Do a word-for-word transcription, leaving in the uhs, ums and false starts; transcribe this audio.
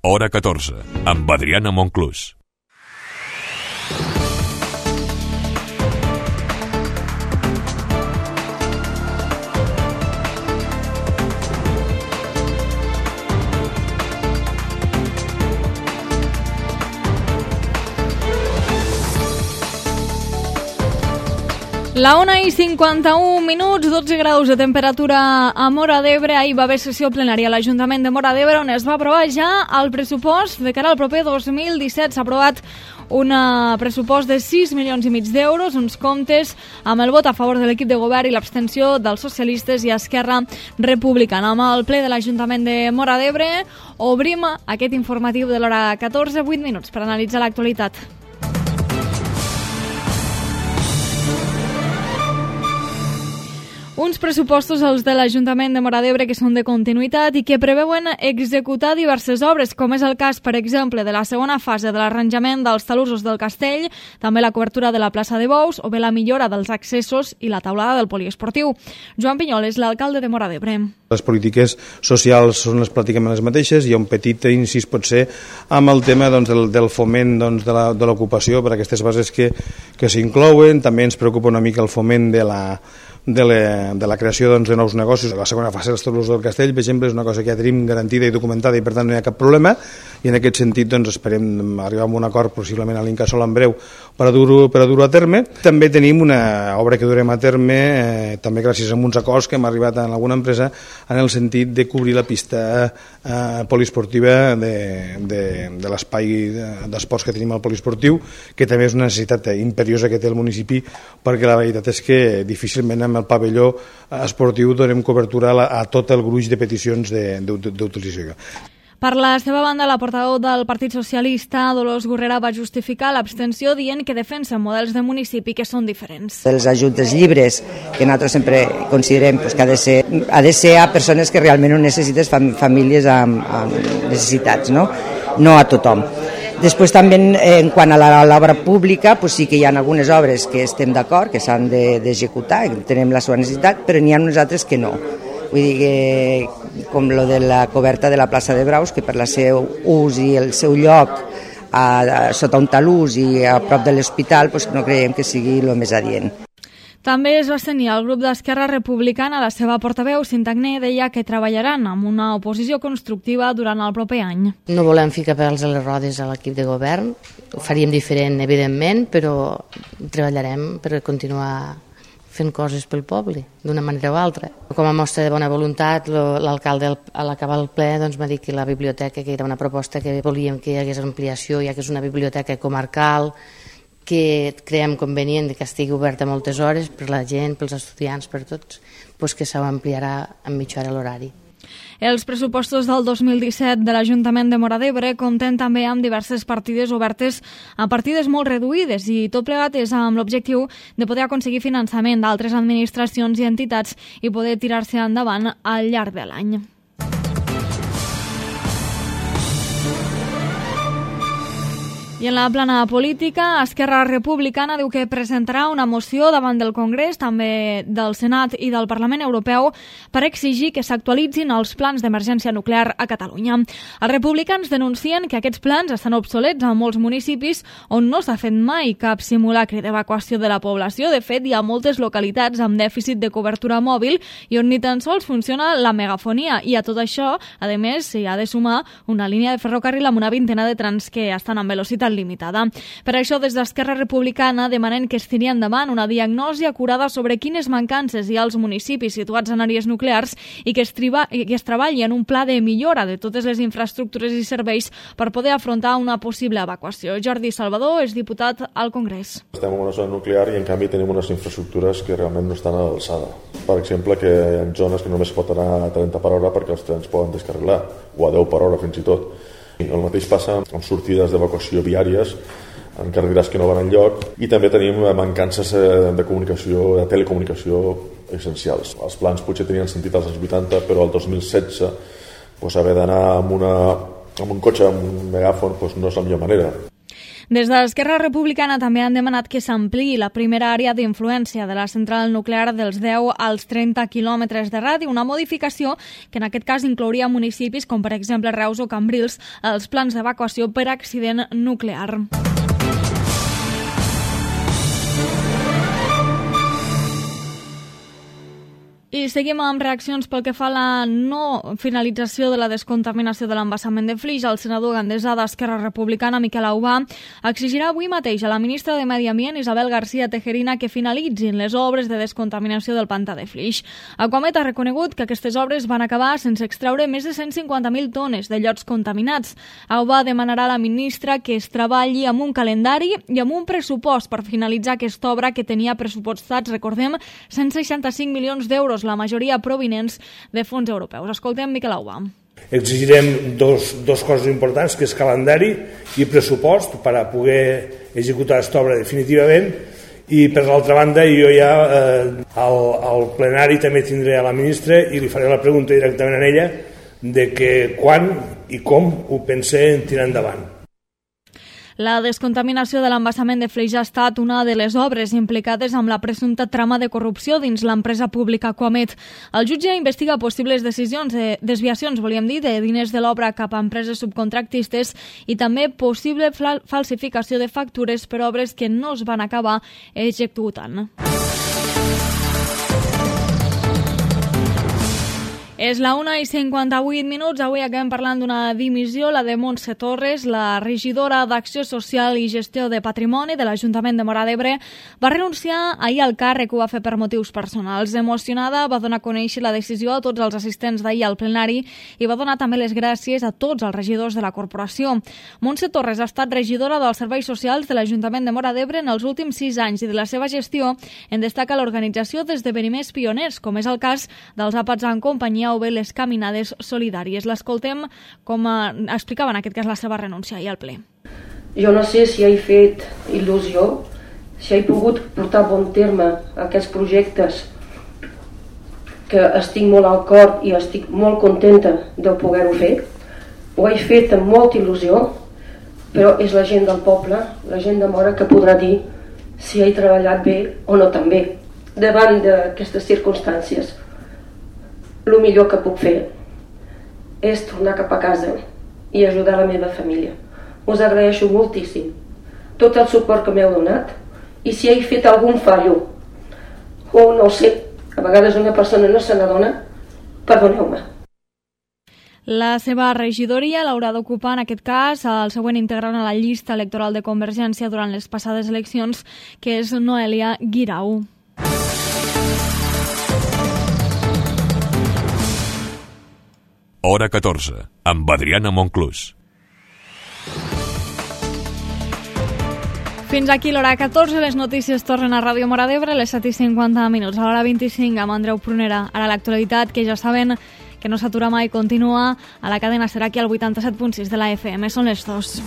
Hora catorze, amb Adriana Monclús. La una i cinquanta-un minuts, dotze graus de temperatura a Móra d'Ebre. Ahir va haver sessió plenària a l'Ajuntament de Móra d'Ebre on es va aprovar ja el pressupost de cara al proper dos mil disset. S'ha aprovat un pressupost de sis milions i mig d'euros, uns comptes amb el vot a favor de l'equip de govern i l'abstenció dels socialistes i Esquerra Republicana. Amb el ple de l'Ajuntament de Móra d'Ebre obrim aquest informatiu de l'hora catorze, vuit minuts per analitzar l'actualitat. Uns pressupostos, els de l'Ajuntament de Móra d'Ebre, que són de continuïtat i que preveuen executar diverses obres, com és el cas, per exemple, de la segona fase de l'arranjament dels talussos del castell, també la cobertura de la plaça de Bous o bé la millora dels accessos i la taulada del poliesportiu. Joan Pinyol és l'alcalde de Móra d'Ebre. Les polítiques socials són les pràcticament les mateixes. Hi ha un petit incís, potser, amb el tema doncs, del, del foment doncs, de l'ocupació per aquestes bases que, que s'inclouen. També ens preocupa una mica el foment de la de la, de la creació doncs, de nous negocis. La segona fase dels talussos del castell, per exemple, és una cosa que ja tenim garantida i documentada i per tant no hi ha cap problema, i en aquest sentit doncs, esperem arribar a un acord possiblement a l'Incasòl en breu per a dur-ho per a dur-ho a terme. També tenim una obra que durem a terme eh, també gràcies a uns acords que hem arribat en alguna empresa en el sentit de cobrir la pista eh, poliesportiva de, de, de l'espai d'esports que tenim al poliesportiu, que també és una necessitat imperiosa que té el municipi, perquè la veritat és que difícilment amb el pavelló esportiu donem cobertura a, la, a tot el gruix de peticions d'utilització. Per la seva banda, la portaveu del Partit Socialista, Dolors Gurrera, va justificar l'abstenció dient que defensen models de municipi que són diferents. Els ajuts dels llibres, que nosaltres sempre considerem pues, que ha de, ser, ha de ser a persones que realment ho necessites, famílies amb, amb necessitats, no? No a tothom. Després també en quant a l'obra pública pues sí que hi ha algunes obres que estem d'acord, que s'han d'executar, que tenem la seva necessitat, però n'hi ha unes altres que no. Vull dir que com lo de la coberta de la plaça de Braus, que per la seu ús i el seu lloc a, a, sota un talús i a prop de l'hospital pues no creiem que sigui el més adient. També es va abstenir el grup d'Esquerra Republicana. La seva portaveu, Cinta Agné, deia que treballaran amb una oposició constructiva durant el proper any. No volem ficar pèls a les rodes a l'equip de govern, ho faríem diferent, evidentment, però treballarem per continuar fent coses pel poble, d'una manera o altra. Com a mostra de bona voluntat, l'alcalde a l'acabar el ple doncs, m'ha dit que la biblioteca, que era una proposta que volíem que hi hagués ampliació, ja que és una biblioteca comarcal, que creiem convenient que estigui oberta moltes hores per la gent, pels estudiants, per tots, doncs que s'ampliarà en mitja hora l'horari. Els pressupostos del dos mil disset de l'Ajuntament de Móra d'Ebre compten també amb diverses partides obertes a partides molt reduïdes i tot plegat és amb l'objectiu de poder aconseguir finançament d'altres administracions i entitats i poder tirar-se endavant al llarg de l'any. I en la plana política, Esquerra Republicana diu que presentarà una moció davant del Congrés, també del Senat i del Parlament Europeu, per exigir que s'actualitzin els plans d'emergència nuclear a Catalunya. Els republicans denuncien que aquests plans estan obsolets a molts municipis on no s'ha fet mai cap simulacre d'evacuació de la població. De fet, hi ha moltes localitats amb dèficit de cobertura mòbil i on ni tan sols funciona la megafonia. I a tot això, a més, s'hi ha de sumar una línia de ferrocarril amb una vintena de trens que estan amb velocitat limitada. Per això, des d'Esquerra Republicana demanen que es tiri endavant una diagnosi acurada sobre quines mancances hi ha als municipis situats en àrees nuclears i que es, triba, que es treballi en un pla de millora de totes les infraestructures i serveis per poder afrontar una possible evacuació. Jordi Salvador és diputat al Congrés. Estem en una zona nuclear i en canvi tenim unes infraestructures que realment no estan a l'alçada. Per exemple, que hi ha zones que només pot anar a trenta per hora perquè els trens poden descarrilar, o a deu per hora fins i tot. El mateix passa amb sortides d'evacuació viàries en carreteres que no van enlloc i també tenim mancances de comunicació, de telecomunicació essencials. Els plans potser tenien sentit als anys vuitanta, però el dos mil setze pues, haver d'anar amb, una, amb un cotxe, amb un megàfon, pues, no és la millor manera. Des d'Esquerra Republicana també han demanat que s'ampliï la primera àrea d'influència de la central nuclear dels deu als trenta quilòmetres de radi, una modificació que en aquest cas inclouria municipis com per exemple Reus o Cambrils als plans d'evacuació per accident nuclear. I seguim amb reaccions pel que fa a la no finalització de la descontaminació de l'embassament de Flix. El senador gandesà d'Esquerra Republicana, Miquel Aubà, exigirà avui mateix a la ministra de Medi Ambient, Isabel García Tejerina, que finalitzin les obres de descontaminació del pantà de Flix. Aquamet ha reconegut que aquestes obres van acabar sense extreure més de cent cinquanta mil tones de llots contaminats. Aubà demanarà a la ministra que es treballi amb un calendari i amb un pressupost per finalitzar aquesta obra que tenia pressupostats, recordem, cent seixanta-cinc milions d'euros, la majoria provinents de fons europeus. Escoltem Miquel Aubà. Exigirem dos, dos coses importants, que és calendari i pressupost per a poder executar aquesta obra definitivament, i per l'altra banda jo ja eh, al, al plenari també tindré a la ministra i li faré la pregunta directament a ella de que quan i com ho pense tirar endavant. La descontaminació de l'embassament de Flix ha estat una de les obres implicades amb la presumpta trama de corrupció dins l'empresa pública Aquamet. El jutge investiga possibles decisions de desviacions, volíem dir, de diners de l'obra cap a empreses subcontractistes i també possible falsificació de factures per obres que no es van acabar executant. És la una i cinquanta-vuit minuts. Avui acabem parlant d'una dimissió, la de Montse Torres, la regidora d'Acció Social i Gestió de Patrimoni de l'Ajuntament de Móra d'Ebre. Va renunciar ahir al càrrec, ho va fer per motius personals. Emocionada, va donar a conèixer la decisió a tots els assistents d'ahir al plenari i va donar també les gràcies a tots els regidors de la corporació. Montse Torres ha estat regidora dels Serveis Socials de l'Ajuntament de Móra d'Ebre en els últims sis anys i de la seva gestió en destaca l'organització d'esdeveniments pioners, com és el cas dels àpats en companyia o bé les caminades solidàries. L'escoltem com explicava en aquest cas la seva renúncia i al ple. Jo no sé si he fet il·lusió, si he pogut portar a bon terme aquests projectes que estic molt al cor i estic molt contenta de poder-ho fer. Ho he fet amb molta il·lusió, però és la gent del poble, la gent de Móra, que podrà dir si he treballat bé o no tan bé. Davant d'aquestes circumstàncies, el millor que puc fer és tornar cap a casa i ajudar la meva família. Us agraeixo moltíssim tot el suport que m'heu donat i si he fet algun fallo o no sé, a vegades una persona no se n'adona, perdoneu-me. La seva regidoria l'haurà d'ocupar en aquest cas el següent integrant a la llista electoral de Convergència durant les passades eleccions, que és Noelia Guirao. Hora catorze, amb Adriana Monclús. Fins aquí l'hora catorze, les notícies tornen a Ràdio Móra d'Ebre, les set i cinquanta minuts, a l'hora vint-i-cinc amb Andreu Prunera. Ara l'actualitat, que ja saben que no s'atura mai, continua a la cadena Ser, aquí al vuitanta-set punt sis de la F M. Són les dos.